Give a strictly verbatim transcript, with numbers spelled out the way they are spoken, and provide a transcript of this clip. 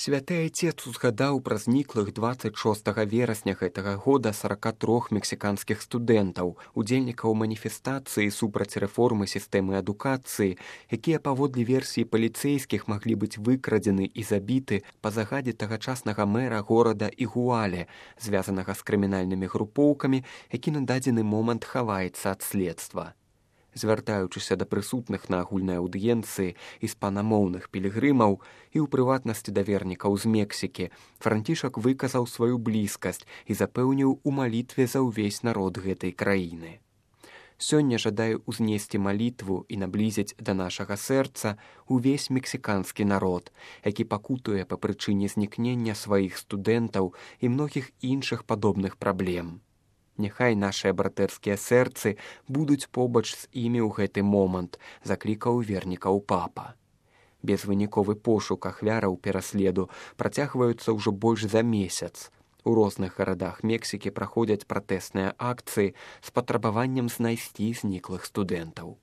Святы айцец узгадаў пра зніклых дваццаць шостага верасня гэтага года сарака трох мексіканскіх студэнтаў, удзельнікаў маніфестацыі супраць рэформы сістэмы адукацыі, якія паводле версіі паліцэйскіх маглі быць выкрадзены і забіты па загадзе тагачаснага мэра горада Ігуале, звязанага з крымінальнымі групоўкамі, які на дадзены момант хаваецца ад следства. Звяртаючыся да прысутных на агульнай аўдыенцыі іспанамоўных пілігрымаў і ў прыватнасці да вернікаў з Мексікі, Францішак выказаў сваю блізкасць і запэўніў у малітве за ўвесь народ гэтай краіны. Сёння жадаю узнесці малітву і наблізіць да нашага сэрца увесь мексіканскі народ, які пакутуе па прычыне знікнення сваіх студэнтаў і многіх іншых падобных праблем. Няхай нашыя братэрскія сэрцы будуць побач з імі ў гэты момант, заклікаў вернікаў папа. Безвыніковы пошук ахвяраў пераследу працягваюцца ўжо больш за месяц. У розных гарадах Мексікі праходзяць пратэсныя акцыі з патрабаваннем знайсці зніклых студэнтаў.